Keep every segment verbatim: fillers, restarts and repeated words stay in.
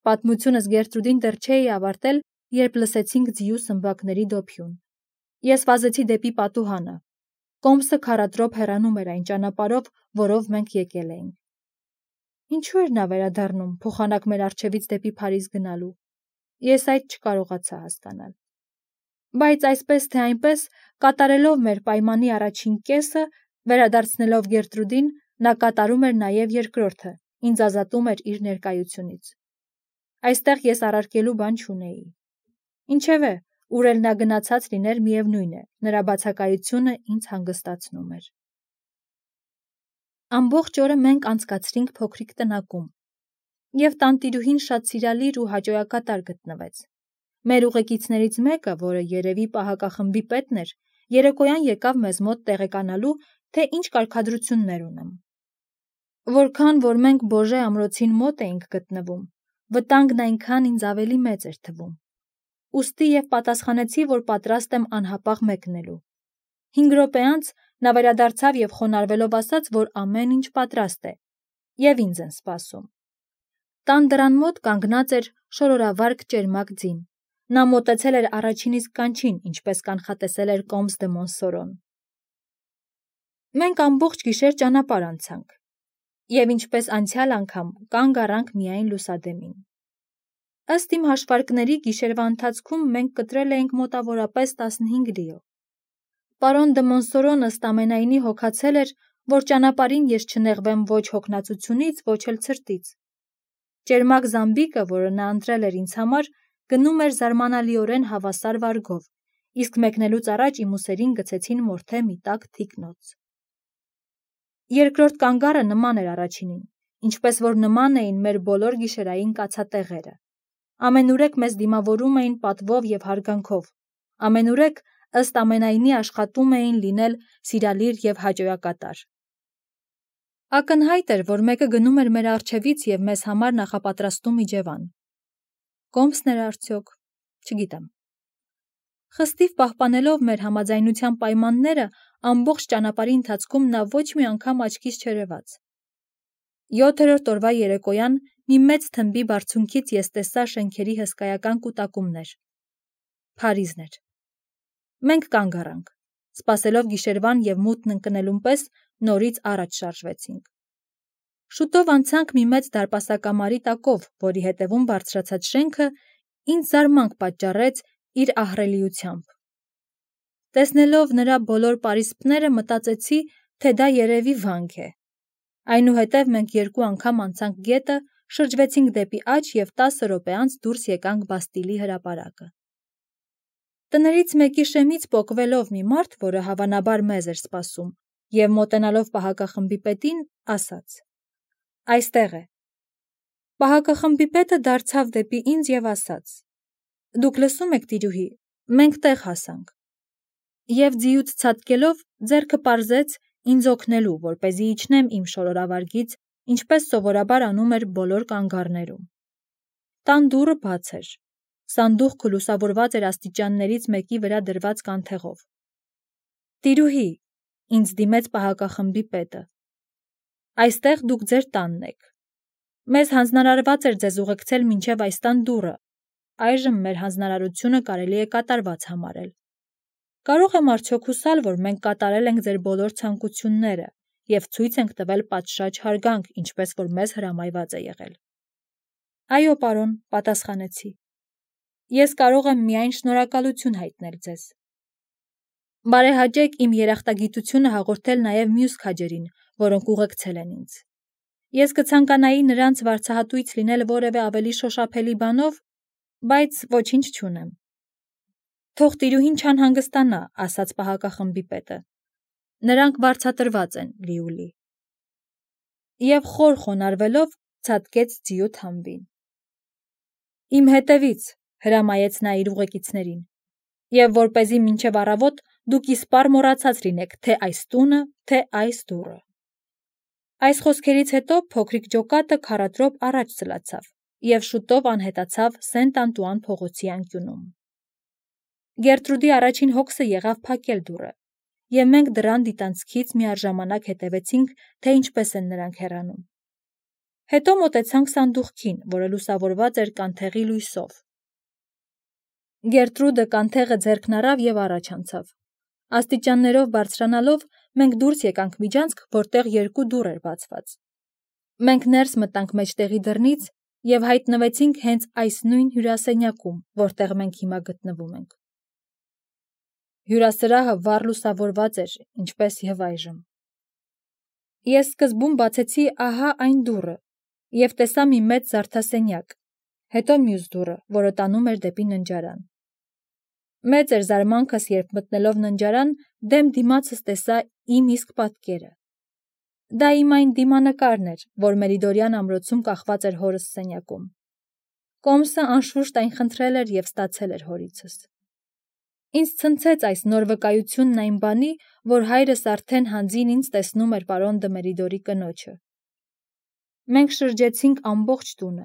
Պատմությունս Գերտրուդին դեռ չէի ավարտել, երբ լսեցինք ձիու սմբակների դոփյուն։ Ես վազեցի դեպի պատուհանը։ Կոմսը քառատրոփ հեռանում էր այն ճանապարհով, որով մենք եկել էինք։ Ինչու էր նա վերադառնում, փոխանակ մեր առջևից դեպի Փարիզ գնալու։ Ես այդ չկարողացա հասկանալ։ Բայց այսպես թե այնպես, կատարելով մեր պայմանի առաջին կեսը, վերադարձնելով Գերտրուդին, նա կատարում էր նաև երկրորդը, ինձ ազատում էր իր ներկայությունից։ Այստեղ ես առարկելու բան չունեի։ Ինչևէ, ուր էլ նա գնացած լիներ, միևնույն է, նրա բացակայությունը ինձ հանգստացնում էր։ Ամբողջ օրը մենք անցկացրինք փոքրիկ տնակում, և տանտիրուհին շատ սիրալիր ու հաճոյակատար գտնվեց։ Մեր ուղեկիցներից մեկը, որը երևի պահակախմբի պետն էր, երեկոյան եկավ մեզ մոտ տեղեկանալու, թե ինչ կարգադրություններ ունեմ։ Որքան որ մենք Բոժե ամրոցին մոտ էինք գտնվում, վտանգն այնքան ինձ ավելի մեծ էր թվում։ Ուստի և պատասխանեցի, որ պատրաստ եմ անհապաղ մեկնելու։ Հինգ րոպե անց նա վերադարձավ և խոնարհվելով ասաց, որ ամեն ինչ պատրաստ է, և ինձ են սպասում։ Տան դռան մոտ կանգնած էր շորորավարկ ճերմակ ձին։ Նա մոտեցել էր առաջին իսկ կանչին, ինչպես կանխատեսել էր Կոմս դը Մոնսորոն։ Մենք ամբողջ գիշեր ճանապարհ անցանք, և ինչպես անցյալ անգամ կանգ առանք միայն լուսադեմին։ Ըստ իմ հաշվարկների, գիշերվա ընթացքում մենք կտրել էինք մոտավորապես տասնհինգ լիո։ Պարոն դը Մոնսորոն ըստ ամենայնի հոգացել էր, որ ճանապարհին ես չնեղվեմ ոչ հոգնածությունից, ոչ էլ ցրտից։ Ճերմակ զամբիկը, որը նա ընտրել էր ինձ համար, գնում էր զարմանալիորեն հավասար վարգով, իսկ մեկնելուց առաջ իմ ուսերին գցեցին մորթե մի տաք թիկնոց։ Երկրորդ կանգառը նման էր առաջինին, ինչպես որ նման էին մեր բոլոր գիշերային կացատեղերը։ Ամենուրեք մեզ դիմավորում էին պատվով և հարգանքով, ամենուրեք ըստ ամենայնի աշխատում էին լինել սիրալիր և հաճոյակատար։ Ակնհայտ էր, որ մեկը գնում էր մեր առջևից և մեզ համար նախապատրաստում իջևան։ Կոմսն էր արդյոք, չգիտեմ։ Խստիվ պահպանելով մեր համաձայնության պայմանները, ամբողջ ճանապարհի ընթացքում նա ոչ մի անգամ աչքիս չերևաց։ Յոթերորդ օրվա երեկոյան մի մեծ թմբի բարձունքից ես տեսա շենքերի հսկայական կուտակումներ։ Փարիզն էր։ Մենք կանգ առանք, սպասելով գիշերվան և մութն ընկնելուն պես նորից առաջ շարժվեցինք։ Շուտով անցանք մի մեծ դարպասակամարի տակով, որի հետևում բարձրացած շենքը ինձ զարմանք պատճառեց իր ահռելիությամբ։ Տեսնելով նրա բոլոր պարիսպները, մտածեցի, թե դա երևի վանք է։ Այնուհետև մենք երկու անգամ անցանք գետը, շրջվեցինք դեպի աջ և տասը րոպե անց դուրս եկանք Բաստիլի հրապարակը։ Տներից մեկի շեմից պոկվելով մի մարդ, որը հավանաբար մեզ էր սպասում, և մոտենալով պահակախմբի պետին, ասաց. «Այստեղ է»։ Պահակախմբի պետը դարձավ դեպի ինձ և ասաց. «Դուք լսում եք, տիրուհի, մենք տեղ հասանք»։ Եվ ձիուց ցատկելով ձեռքը պարզեց ինձ օգնելու, որպեսզի իջնեմ իմ շորորավարգից, ինչպես սովորաբար անում էր բոլոր կանգառներում։ Տան դուռը բաց էր։ Սանդուղքը լուսավորված էր աստիճաններից մեկի վրա դրված կանթեղով։ «Տիրուհի», ինձ դիմեց պահակախմբի պետը, «այստեղ դուք ձեր տանն եք։ Մեզ հանձնարարված էր ձեզ ուղեկցել մինչև այս տան դուռը, այժմ մեր հանձնարարությունը կարելի է կատարված համարել։ Կարող եմ արդյոք հուսալ, որ մենք կատարել ենք ձեր բոլոր ցանկությունները և ցույց ենք տվել պատշաճ հարգանք, ինչպես որ մեզ հրամայված է եղել»։ «Այո, պարոն», պատասխանեցի։ «Ես կարող եմ միայն շնորհակալություն հայտնել ձեզ»։ Բարեհաճեք իմ երախտագիտությունը հաղորդել նաև մյուս քաջերին, որոնք ուղեկցել են ինձ։ Ես կցանկանայի նրանց վարձահատույց լինել որևէ ավելի շոշափելի բանով, բայց ոչինչ չունեմ։ Թող տիրուհին չանհանգստանա, ասաց պահակախմբի պետը։ Նրանք վարձատրված են, Լիուլի։ Եվ խոր խոնարհվելով ցատկեց ձիու թամբին։ Իմ հետևից, հրամայեց նա իր ուղեկիցներին, և որպեսզի մինչև առավոտ դուք իսպառ մոռացած լինեք թե այս տունը, թե այս դուռը։ Այս խոսքերից հետո փոքրիկ ջոկատը քառատրոփ առաջ սլացավ և շուտով անհետացավ Սենտ Անտուան փողոցի անկյունում։ Գերտրուդի առաջին հոգսը եղավ փակել դուռը, և մենք դռան դիտանցքից միաժամանակ հետևեցինք, թե ինչպես են նրանք հեռանում։ Հետո մոտեցանք սանդուղքին, որը լուսավորված էր կանթեղի լույսով։ Գերտրուդը կանթեղը ձեռքն առավ և առաջ անցավ։ Աստիճաններով բարձրանալով մենք դուրս եկանք միջանցք, որտեղ երկու դուռ էր բացված։ Մենք ներս մտանք մեջտեղի դռնից և հայտնվեցինք հենց այս նույն հյուրասենյակում, որտեղ մենք հիմա գտնվում ենք։ Հյուրասրահը վառ լուսավորված էր, ինչպես և այժմ։ Ես սկզբում բացեցի ահա այն դուռը և տեսա մի մեծ զարդասենյակ, հետո մյուս դուռը, որը տանում էր դեպի ննջարան։ Մեծ էր զարմանքս, երբ մտնելով ննջարան, դեմ դիմացս տեսա իմ իսկ պատկերը։ Դա իմ այն դիմանկարն էր, որ Մերիդորյան ամրոցում կախված էր հորս սենյակում։ Կոմսը անշուշտ այն խնդրել էր և ստացել էր հորիցս։ Ինձ ցնցեց այս նոր վկայությունն այն բանի, որ հայրս արդեն հանձին ինձ տեսնում էր պարոն դը Մերիդորի կնոջը։ Մենք շրջեցինք ամբողջ տունը։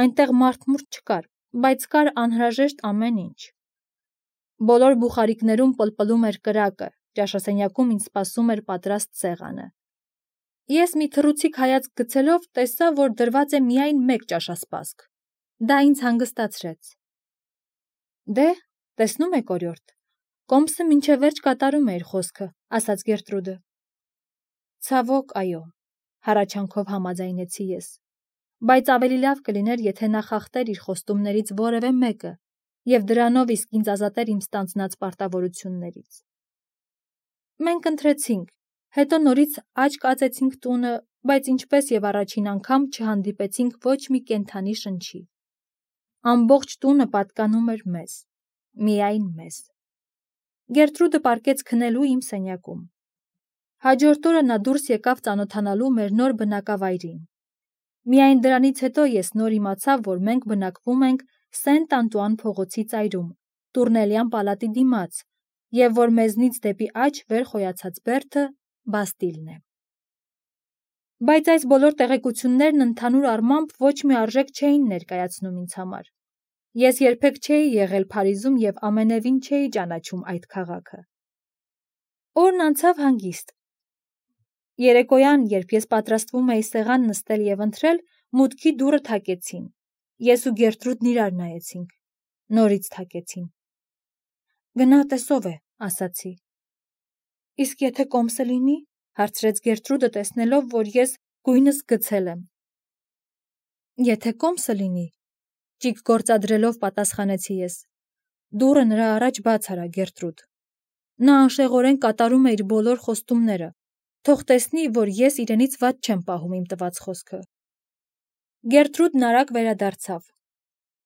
Այնտեղ մարդ-մուրդ չկար, բայց կար անհրաժեշտ ամեն ինչ։ Բոլոր բուխարիկներում պլպլում էր կրակը, ճաշասենյակում ինձ սպասում էր պատրաստ սեղանը։ Ես մի թռուցիկ հայացք գցելով տեսա, որ դրված է միայն մեկ ճաշասպասք։ Դա ինձ հանգստացրեց։ Դե, տեսնում եք, օրիորդ, Կոմսը մինչև վերջ կատարում է իր խոսքը, ասաց Գերտրուդը։ Ցավոք, այո, հառաչանքով համաձայնեցի ես, բայց ավելի լավ կլիներ, եթե նա խախտեր իր խոստումներից որևէ մեկը և դրանով իսկ ինձ ազատեր իմ ստանձնած պարտավորություններից։ Մենք ընթրեցինք, հետո նորից աչք ածեցինք տունը, բայց ինչպես և առաջին անգամ չհանդիպեցինք ոչ մի կենդանի շնչի։ Ամբողջ տունը պատկանում էր մեզ, միայն մեզ։ Գերտրուդը պառկեց քնելու իմ սենյակում։ Հաջորդ օրը նա դուրս եկավ ծանոթանալու մեր նոր բնակավայրին։ Միայն դրանից հետո ես նոր իմացա, որ մենք բնակվում ենք Սենտ Անտուան փողոցի ծայրում, Տուրնելյան պալատի դիմաց, և որ մեզնից դեպի աջ վեր խոյացած բերդը Բաստիլն է։ Բայց այս բոլոր տեղեկություններն ընդհանուր առմամբ ոչ մի արժեք չէին ներկայացնում ինձ համար։ Ես երբեք չէի եղել Փարիզում և ամենևին չէի ճանաչում այդ քաղաքը։ Օրն անցավ հանգիստ։ Երեկոյան, երբ ես պատրաստվում էի սեղան նստել և ընթրել, մուտքի դուռը թակեցին։ Ես ու Գերտրուդն իրար նայեցինք։ Նորից թակեցին։ Գնա տես ով է, ասացի։ Իսկ եթե Կոմսը լինի, հարցրեց Գերտրուդը, տեսնելով, որ ես գույնս գցել եմ։ Եթե Կոմսը լինի, ճիգ գործադրելով պատասխանեցի ես, դուռը նրա առաջ բաց արա, Գերտրուդ։ Նա անշեղորեն կատարում է իր բոլոր խոստումները, թող տեսնի, որ ես իրենից վատ չեմ պահում իմ տված խոսքը։ Գերտրուդն արագ վերադարձավ։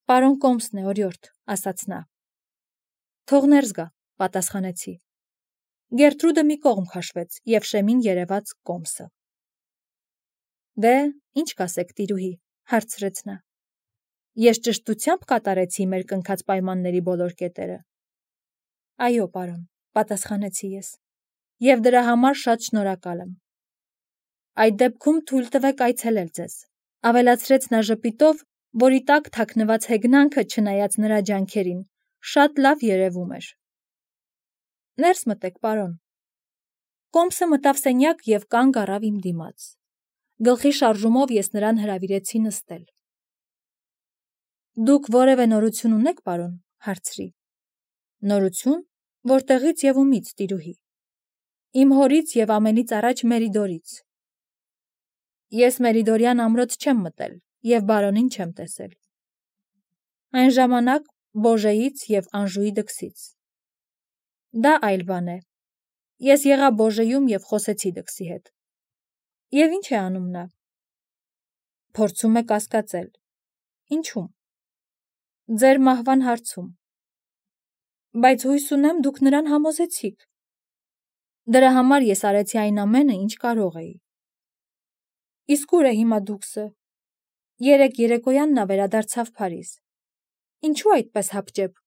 Պարոն Կոմսն է, օրիորդ, ասաց նա։ Թող ներս գա, պատասխանեցի։ Գերտրուդը մի կողմ քաշվեց և շեմին երևաց Կոմսը։ Դե, ինչ կասեք, տիրուհի, հարցրեց նա։ Ես ճշտությամբ կատարեցի մեր կնքած պայմանների բոլոր կետերը։ Այո, պարոն, պատասխանեցի ես, և դրա համար շատ շնորհակալ եմ։ Այդ դեպքում թույլ տվեք այցելել ձեզ, ավելացրեց նա ժպիտով, որի տակ թաքնված հեգնանքը, չնայած նրա ջանքերին, շատ լավ երևում էր։ Ներս մտեք, պարոն։ Կոմսը մտավ սենյակ և կանգ առավ իմ դիմաց։ Գլխի շարժումով ես նրան հրավիրեցի նստել։ Դուք որևէ նորություն ունեք, պարոն, հարցրի։ Նորություն, որտեղից և ումից, տիրուհի։ Իմ հորից և ամենից առաջ Մերիդորից։ Ես Մերիդորյան ամրոց չեմ մտել և բարոնին չեմ տեսել։ Այն ժամանակ Բոժեից և Անժուի դքսից։ Դա այլ բան է։ Ես եղա Բոժեում և խոսեցի դքսի հետ։ Եվ ինչ է անում նա։ Փորձում է կասկածել։ Ինչու՞մ։ Ձեր մահվան հարցում։ Բայց հույս ունեմ, դուք նրան համոզեցիք։ Դրա համար ես արեցի այն ամենը, ինչ կարող էի։ Իսկ ուր է հիմա դուքսը։ Երեկ երեկոյան նա վերադարձավ Փարիզ։ Ինչու այդպես հապճեպ։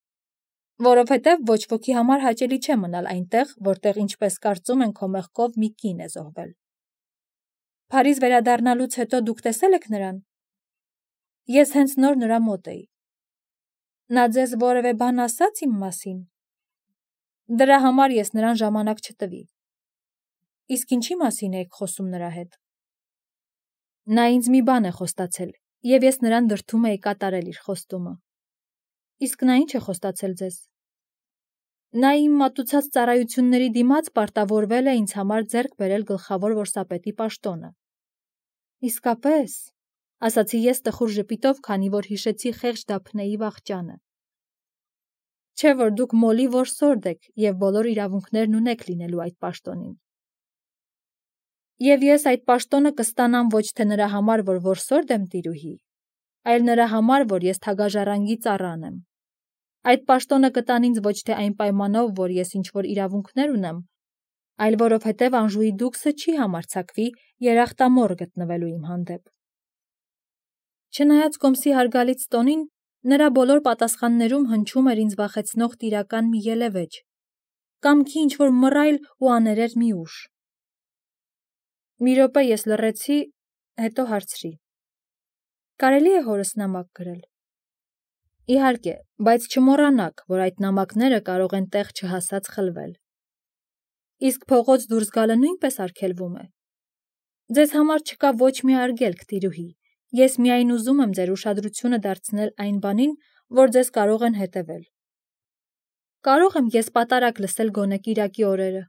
Որովհետև ոչ ոքի համար հաճելի չէ մնալ այնտեղ, որտեղ, ինչպես կարծում են, քո մեղքով մի կին է զոհվել։ Փարիզ վերադառնալուց հետո դուք տեսել եք նրան։ Ես հենց նոր նրա մոտ էի։ Նա ձեզ որևէ բան ասաց իմ մասին։ Դրա համար ես նրան ժամանակ չտվի։ Իսկ ինչի մասին եք խոսում նրա հետ։ Նա ինձ մի բան է խոստացել, և ես նրան դրդում էի կատարել իր խոստումը։ Իսկ նա ինչ է խոստացել ձեզ։ Նա իմ մատուցած ծառայությունների դիմաց պարտավորվել է ինձ համար ձեռք բերել գլխավոր որսապետի պաշտոնը։ Իսկապես, ասացի ես տխուր ժպիտով, քանի որ հիշեցի խեղճ Դափնեի վախճանը։ Չէ՞ որ դուք Մոլի որսորդ եք և բոլոր իրավունքներն ունեք լինելու այդ պաշտոնին։ Եվ ես այդ պաշտոնը կստանամ ոչ թե նրա համար, որ որսորդ եմ տիրուհի, այլ նրա համար, որ ես թագաժառանգի ծառան եմ։ Այդ պաշտոնը կտան ինձ ոչ թե այն պայմանով, որ ես ինչ-որ իրավունքներ ունեմ, այլ որովհետև Անժուի դուքսը չի համարձակվի երախտամոռ գտնվելու իմ հանդեպ։ Չնայած Կոմսի հարգալից տոնին, նրա բոլոր պատասխաններում հնչում էր ինձ վախեցնող տիրական մի ելևէջ, կամքի ինչ-որ մռայլ ու աներեր մի ուժ։ Մի րոպե ես լռեցի, հետո հարցրի. Կարելի է հորս նամակ գրել։ Իհարկե, բայց չմոռանաք, որ այդ նամակները կարող են տեղ չհասած խլվել։ Իսկ փողոց դուրս գալը նույնպես արգելվում է։ Ձեզ համար չկա ոչ մի արգելք, տիրուհի, ես միայն ուզում եմ ձեր ուշադրությունը դարձնել այն բանին, որ ձեզ կարող են հետևել։ Կարող եմ ես պատարագ լսել գոնե կիրակի օրերը։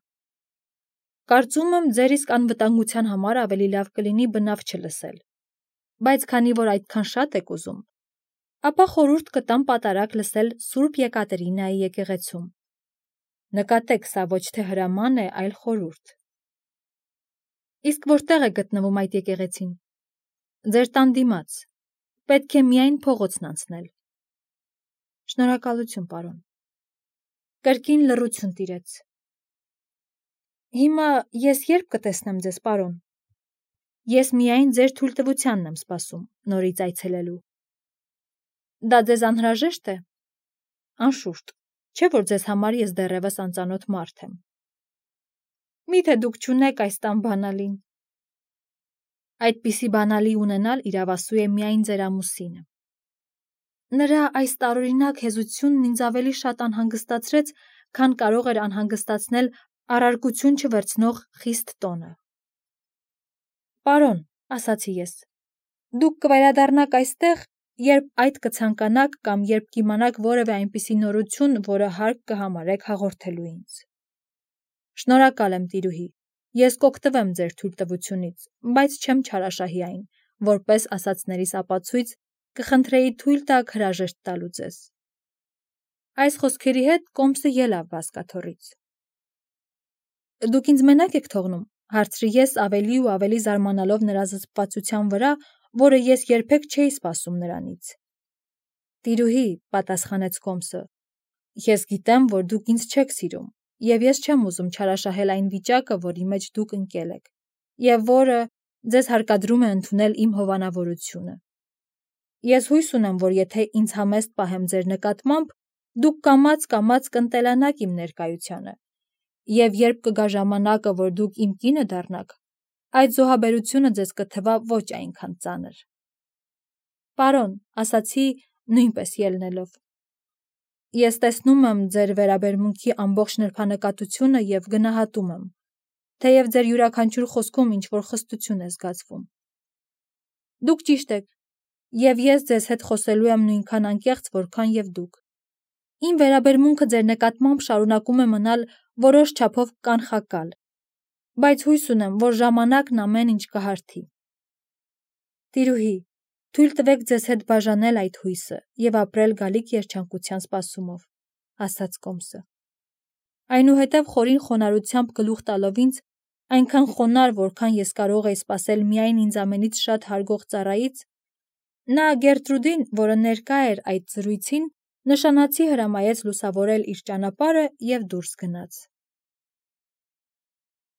Կարծում եմ, ձեր իսկ անվտանգության համար ավելի լավ կլինի բնավ չլսել, բայց քանի որ այդքան շատ եք ուզում, ապա խորհուրդ կտամ պատարագ լսել Սուրբ Եկատերինայի եկեղեցում։ Նկատեք, սա ոչ թե հրաման է, այլ խորհուրդ։ Իսկ որտեղ է գտնվում այդ եկեղեցին։ Ձեր տան դիմաց։ Պետք է միայն փողոցն անցնել։ Շնորհակալություն, պարոն։ Կրկին լռություն տիրեց։ Հիմա ես երբ կտեսնեմ ձեզ, պարոն։ Ես միայն ձեր թույլտվությանն եմ սպասում նորից այցելելու։ Դա ձեզ անհրաժեշտ է։ Անշուշտ, չէ՞ որ ձեզ համար ես դեռևս անծանոթ մարդ եմ։ Միթե դուք չունեք այս տան բանալին։ Այդպիսի բանալի ունենալ իրավասու է միայն ձեր ամուսինը։ Նրա այս տարօրինակ հեզությունն ինձ ավելի շատ անհանգստացրեց, քան կարող էր անհանգստացնել առարկություն չվերցնող խիստ տոնը։ Պարոն, ասացի ես, դուք կվերադառնաք այստեղ, երբ այդ կցանկանաք կամ երբ կիմանաք որևէ այնպիսի նորություն, որը հարկ կհամարեք հաղորդելու ինձ։ Շնորհակալ եմ, տիրուհի, ես կօգտվեմ ձեր թույլտվությունից, բայց չեմ չարաշահի այն, որպես ասածներիս ապացույց կխնդրեի թույլ տաք հրաժեշտ տալու ձեզ։ Այս խոսքերի հետ Կոմսը ելավ բազկաթոռից։ Դուք ինձ մենակ եք թողնում, հարցրի ես ավելի ու ավելի զարմանալով նրա զսպվածության վրա, որը ես երբեք չէի սպասում նրանից։ Տիրուհի, պատասխանեց Կոմսը, ես գիտեմ, որ դուք ինձ չեք սիրում, և ես չեմ ուզում չարաշահել այն վիճակը, որի մեջ դուք ընկել եք, և որը ձեզ հարկադրում է ընդունել իմ հովանավորությունը։ Ես հույս ունեմ, որ եթե ինձ համեստ պահեմ ձեր նկատմամբ, դուք կամաց-կամաց կընտելանաք իմ ներկայությանը, և երբ կգա ժամանակը, որ դուք իմ կինը դառնաք, այդ զոհաբերությունը ձեզ կթվա ոչ այնքան ծանր։ Պարոն, ասացի, նույնպես ելնելով։ Ես տեսնում եմ ձեր վերաբերմունքի ամբողջ նրբանկատությունը և գնահատում եմ, թեև ձեր յուրաքանչյուր խոսքում ինչ-որ խստություն է զգացվում։ Դուք ճիշտ եք, և ես ձեզ հետ խոսելու եմ նույնքան անկեղծ, որքան և դուք։ Իմ վերաբերմունքը ձեր նկատմամբ շարունակում է մնալ որոշ չափով կանխակալ, բայց հույս ունեմ, որ ժամանակն ամեն ինչ կհարթի։ Տիրուհի, թույլ տվեք ձեզ հետ բաժանել այդ հույսը և ապրել գալիք երջանկության սպասումով, ասաց Կոմսը։ Այնուհետև խորին խոնարհությամբ գլուխ տալով ինձ, այնքան խոնարհ, որքան ես կարող էի սպասել միայն ինձանից շատ հարգող ծառայից, նա Գերտրուդին, որը ներկա էր այդ զրույցին, նշանացի հրամայեց լուսավորել իր ճանապարհը և դուրս գնաց։